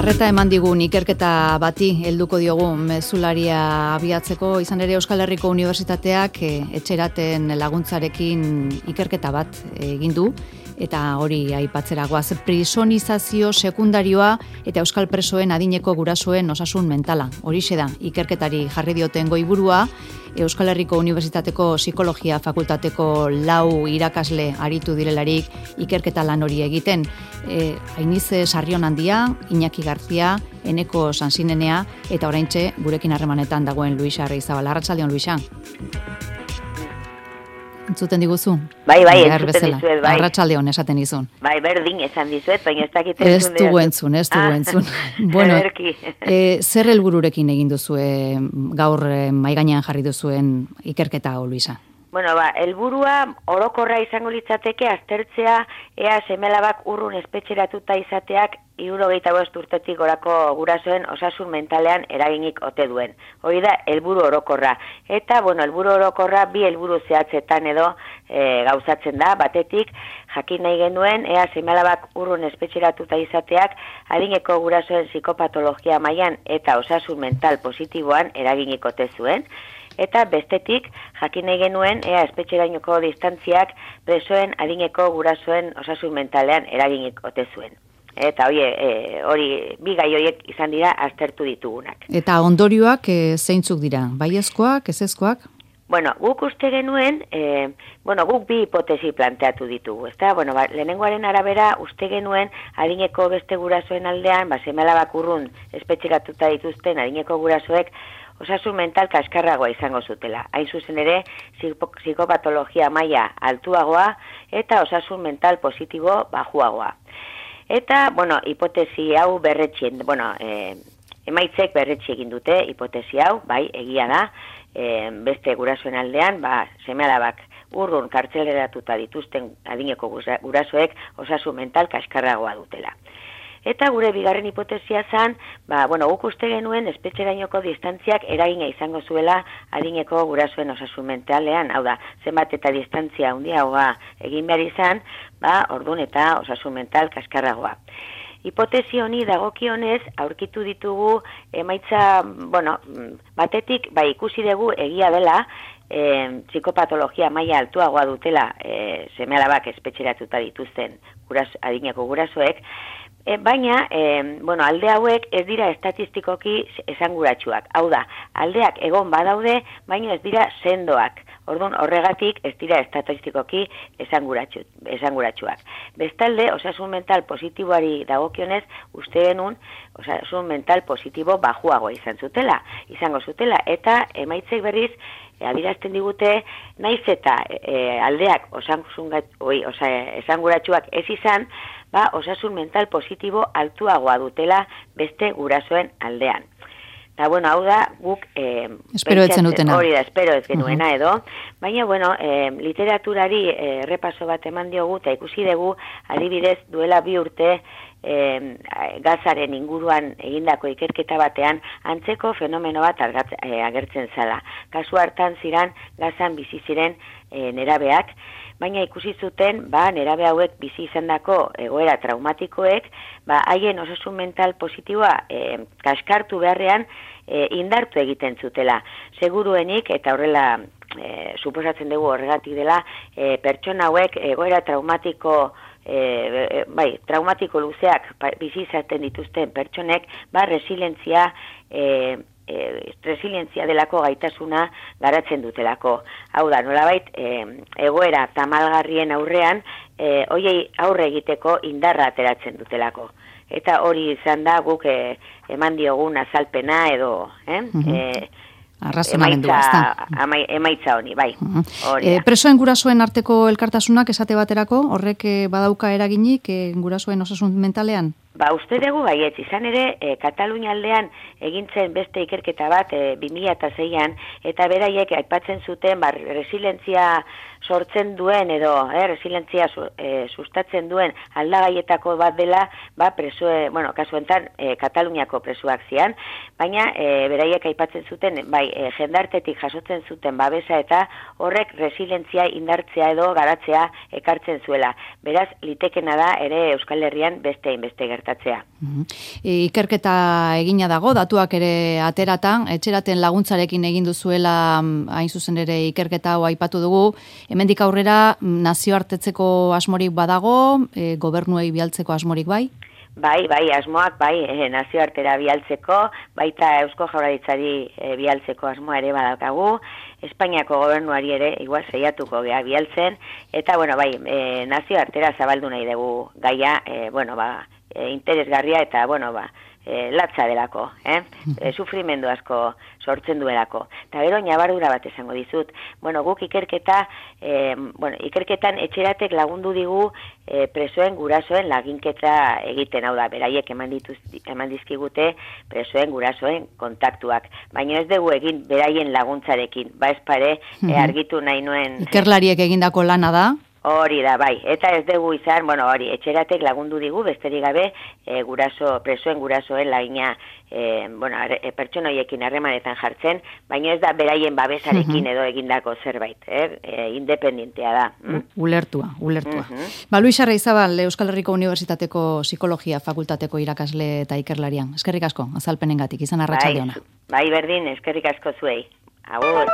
Arreta eman digun ikerketa bati helduko diogu mezularia abiatzeko, izan ere Euskal Herriko Unibertsitateak etxeraten laguntzarekin ikerketa bat egin du, eta hori aipatzera goaz, prisonizazio sekundarioa eta euskal presoen adineko gurasoen osasun mentala. Horixe da, ikerketari jarri dioten goiburua, Euskal Herriko Unibertsitateko Psikologia Fakultateko 4 irakasle aritu direlarik ikerketa lan hori egiten. Ainize Sarrionandia, Iñaki Garzia, Eneko Sansinenea eta oraintxe gurekin harremanetan dagoen Luisa Arrizabal. Arratsaldeon, Luisa. Entzuten diguzu? Bai, entzuten dizuet, bai. Arratsaldeon esaten dizun. Bai, berdin esan dizuet, baina ez dakit ez dugu entzun. Bueno, zer helbururekin egin duzue gaur maigainean jarri duzuen ikerketa, Luisa? Bueno, helburua orokorra izango litzateke aztertzea ea seme-alabak urrun espetxeratuta izateak 75 urtetik gorako gurasoen osasun mentalean eraginik ote duen. Hori da helburu orokorra. Eta, helburu orokorra bi helburu zehatzetan edo gauzatzen da. Batetik, jakin nahi genuen, ea seme-alabak urrun espetxeratuta izateak adineko gurasoen psikopatologia mailan eta osasun mental positiboan eraginik ote zuen. Eta bestetik, jakin nahi genuen, ea espetxerainoko distantziak presoen adineko gurasoen osasun mentalean eraginik ote zuen. Eta hori bi gai horiek izan dira aztertu ditugunak. Eta ondorioak zeintzuk dira? Baiezkoak, ezezkoak? Guk uste genuen, guk bi hipotesi planteatu ditugu, ezta? Lehenengoaren arabera uste genuen adineko beste gurasoen aldean, seme-alabak urrun espetxeratuta dituzten adineko gurasoek osasun mental kaskarragoa izango zutela. Hain zuzen ere, psikopatologia maila altuagoa eta osasun mental positibo bajuagoa. Eta, hipotesi hau berretxien, emaitzek berretxi egin dute hipotesi hau, bai, egia da, beste gurasoen aldean, seme-alabak urrun kartzeleratuta dituzten adineko gurasoek osasun mental kaskarragoa dutela. Eta gure bigarren hipotesia zen, guk uste genuen espetxerainoko distantziak eragina izango zuela adineko gurasoen osasun mentalean, hau da, zenbat eta distantzia handiagoa egin behar izan, ordun eta osasun mental kaskarragoa. Hipotesi honi dagokionez aurkitu ditugu emaitza, batetik ikusi dugu egia dela, psikopatologia maila altuagoa dutela seme-alabak espetxeratuta dituzten adineko gurasoek, baina, alde hauek ez dira estatistikoki esanguratsuak. Hau da, aldeak egon badaude, baina ez dira sendoak. Orduan, horregatik ez dira estatistikoki esanguratsuak. Bestalde, osasun mental positiboari dagokionez, uste genuen, osasun mental positibo bajuago izango zutela, eta emaitzek berriz, adierazten digute, naiz eta aldeak esanguratsuak ez izan, osasun mental positibo altuagoa dutela beste gurasoen aldean. Eta, hau da, guk espero etzen dutena. Hori da, espero ez genuena edo, baina, literaturari repaso bat eman diogu, eta ikusi dugu, adibidez, duela 2 urte, gazaren inguruan egindako ikerketa batean antzeko fenomeno bat agertzen zala. Kasu hartan ziren gazan bizi ziren nerabeak, baina ikusi zuten nerabe hauek bizi izandako egoera traumatikoek haien osasun mental positiboa kaskartu beharrean indartu egiten zutela. Seguruenik eta horrela suposatzen dugu horregatik dela pertsona hauek egoera traumatiko luzeak bizi izaten dituzten pertsonek resilientzia delako gaitasuna garatzen dutelako. Hau da, nolabait egoera tamalgarrien aurrean hoiei aurre egiteko indarra ateratzen dutelako. Eta hori izan da guk eman diogun azalpena edo emaitza honi, bai. Presoen gurasoen arteko elkartasunak esate baterako, horrek badauka eraginik gurasoen osasun mentalean? Uste dugu baietz, izan ere, Katalunia aldean egintzen beste ikerketa bat 2006an, eta beraiek aipatzen zuten resilientzia sortzen duen edo resilientzia sustatzen duen aldagaietako bat dela, presoe, kasu enten Kataluniako presoak zian, baina beraiek aipatzen zuten, jendartetik jasotzen zuten babesa eta horrek resilientzia indartzea edo garatzea ekartzen zuela. Beraz, litekena da ere Euskal Herrian beste gertatzea. Ikerketa egina dago, datuak ere ateratan, etxeraten laguntzarekin egin duzuela hain zuzen ere ikerketa hau aipatu dugu. Hemendik aurrera nazioartetzeko asmorik badago, gobernuei bialtzeko asmorik bai? Bai, asmoak, nazioartera bialtzeko, baita Eusko Jaurlaritzari bialtzeko asmoa ere badaukagu, Espainiako gobernuari ere igual saiatuko gea bialtzen, eta, nazioartera zabaldu nahi dugu gaia, interesgarria eta, latza delako, sufrimendu asko sortzen duelako. Eta gero, ñabardura bat esango dizut. Guk ikerketan etxeratek lagundu digu presoen gurasoen laginketa egiten, hau da, beraiek eman dizkigute presoen gurasoen kontaktuak. Baina ez dugu egin beraien laguntzarekin, ezpare argitu nahi nuen. Ikerlariek egindako lana da? Hori da, eta ez dugu izan, etxeratek lagundu digu, besterik gabe, presoen gurasoen lagina, pertsonoiekin harremanetan jartzen, baina ez da beraien babesarekin edo egindako zerbait, independentea da. Ulertua. Luis Arraizabal, Euskal Herriko Unibertsitateko Psikologia Fakultateko irakasle eta ikerlarian. Eskerrik asko, azalpenengatik, izan arratsalde ona. Bai, berdin, eskerrik asko zuei. Agur.